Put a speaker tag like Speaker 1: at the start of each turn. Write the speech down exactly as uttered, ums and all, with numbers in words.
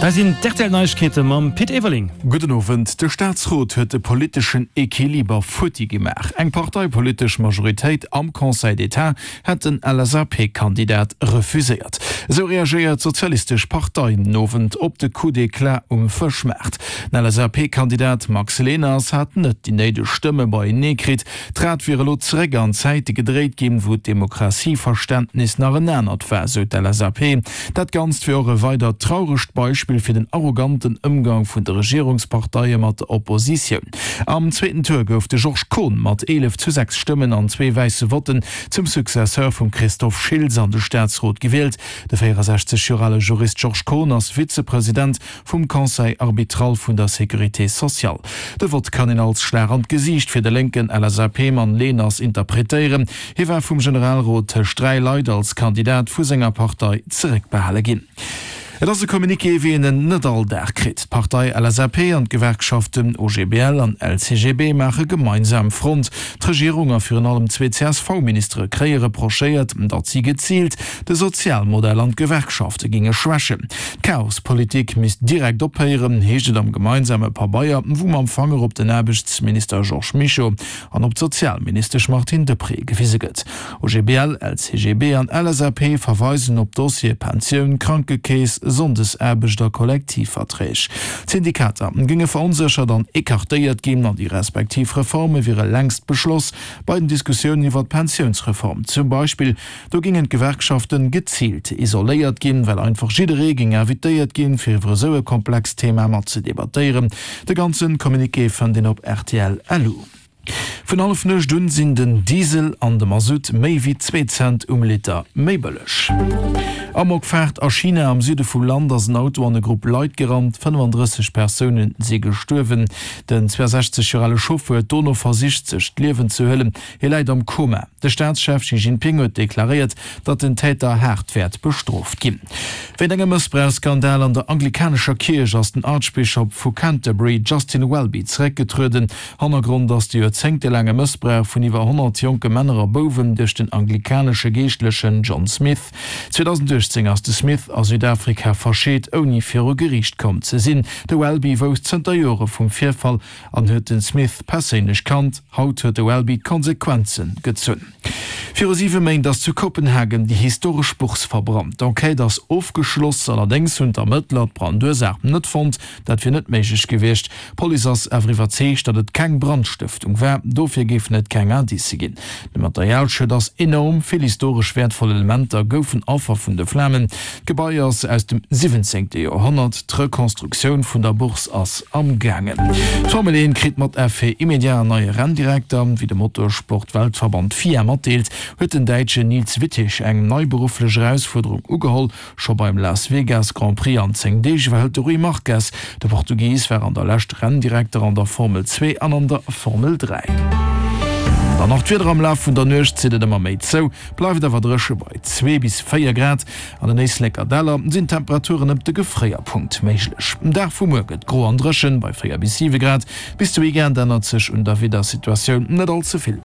Speaker 1: Da sinn d'RTL-Neiegkeete mam Pit Everling.
Speaker 2: Gudden Owend. De Staatsrot huet de politeschen Equiliber futti gemaach. Eng parteipolitesch Majoritéit am Conseil d'État hätt den L S A P-Kandidat refuséiert. Esou reagéiert d'Sozialistesch Partei den Owend op de Coup d'éclat um Fëschmaart. Den L S A P-Kandidat Max Leners hat net déi néideg Stëmme beienee kritt. D'Rad wier elo zeréck an Zäite gedréit ginn, wou d'Demokratieverständnis nach en anert war, sou d'L S A P. Dat Ganzt wier och e weidert trauregt Beispill fir den arroganten Ëmgang vun de Regierungsparteie mat der Oppositioun. Am zweeten Tour gouf de Georges Kohn mat eelef zu sechs Stëmmen an zwee wäisse Votten zum Successeur vum Christophe Schiltz an de Staatsrot gewielt. De véierensechzeg Joer ale Jurist Georges Kohn ass Vizepresident vum Conseil arbitral vun der Sécurité sociale. De Vott kann een als Schlag an d'Gesiicht fir de lénken L S A P-Mann Leners interpretéieren. Hie war vum Generalrot tëscht dräi Leit als Kandidat vu senger Partei zeréckbehale ginn. Et ass e Communiqué, wéi een en net all Dag kritt. D'Partei L S A P an d'Gewerkschaften O G B L an L C G B maache gemeinsam Front. D'Regierung a virun allem zwee C S V-Ministere kréie reprochéiert, datt si geziilt de Sozialmodell an d'Gewerkschafte géinge schwächen. D'Chaospolitik misst direkt ophéieren, heescht et am gemeinsame Pabeier, wou mam Fanger op den Aarbechtsminister Georges Mischo an op d'Sozialministesch Martine Deprez gewise gëtt. O G B L, L C G B an L S A P verweisen op Dossiere Pensioun, Krankekeess, Sonndesaarbecht a Kollektivverträg. D'Syndikater géinge veronséchert an ecartéiert ginn an déi respektiv Reforme wiere längst beschloss. Bei den Diskussiounen iwwer d'Pensiounsreform zum Beispill, do géingen d'Gewerkschafte geziilt isoléiert ginn, well einfach jidderee géing invitéiert ginn, fir iwwer esou e komplext Thema mat ze debattéieren. De ganze Communiqué fënnt een op R T L L U. Vun Hallefnuecht un sinn den Diesel an de Masutt méi wéi zwee Cent um Liter méi bëlleg. Amokfaart a China. Am Süde vum Land ass en Auto an e Grupp Leit gerannt, fënnefandrësseg Persoune si gestuerwen. Den zweeësechzeg Joer ale Chauffer huet dono versicht, sech d'Liewen ze huelen. Hie läit am Koma. De Staatschef Xi Jinping huet deklaréiert, datt den Täter haart wäert bestrooft ginn. Wéint engem Mëssbrauchsskandal an der anglikanescher Kierch ass den Archbishop vu Canterbury Justin Welby zeréckgetrueden. Hannergrond ass de joerzéngtelaange Mëssbrauch vun iwwer honnert jonke Männer a Bouwen duerch den anglikanesche Geeschtlechen John Smith. zweedausenduechtzéng ass de Smith a Südafrika verscheet, ouni viru Geriicht komm ze sinn. De Welby wousst zënter Jore vum Virfall an huet de Smith perséinlech kannt. Haut huet de Welby d'Konsequenze gezunn. Viru siwe Méint ass zu Kopenhagen déi historesch Bourse verbrannt. D'Enquête ass ofgeschloss, allerdéngs hunn d'Ermëttler d'Brandursaach net fonnt. Dat wier net méiglech gewiescht. D'Police ass awer iwwerzeegt, datt et keng Brandstëftung war, dofir géifen et keng Indicë ginn. De Materialschued ass enorm, vill historesch wäertvoll Elementer goufen Affer vun de Flamen. D'Gebai ass aus dem siwwenzéngte Joerhonnert, d'Rekonstruktioun vun der Bourse ass am gaangen. D'Formel eent kritt mat Effet immédiat en neie Renndirekter. Wéi de Motorsport-Weltverband FIA matdeelt, huet den Däitschen Niels Wittich eng nei berufflech Erausfuerderung ugeholl. Scho beim Las Vegas Grand Prix an zéng Deeg iwwerhëlt de Rui Marques. De Portugis war an der Lescht Renndirekter an der Formel zwee an an der Formel dräi. Dann nach d'Wieder. Am Laf vun der Nuecht zitt et ëmmer méi zou, bleift awer dréche bei zwee bis véier Grad. An den Éisleker Däller sinn Temperaturen ëm de Gefréierpunkt méiglech. Den Dag vu muer gëtt gro an dréchen bei véier bis siwe Grad. Bis de Weekend ännert sech un der Wiedersituatioun net all ze vill.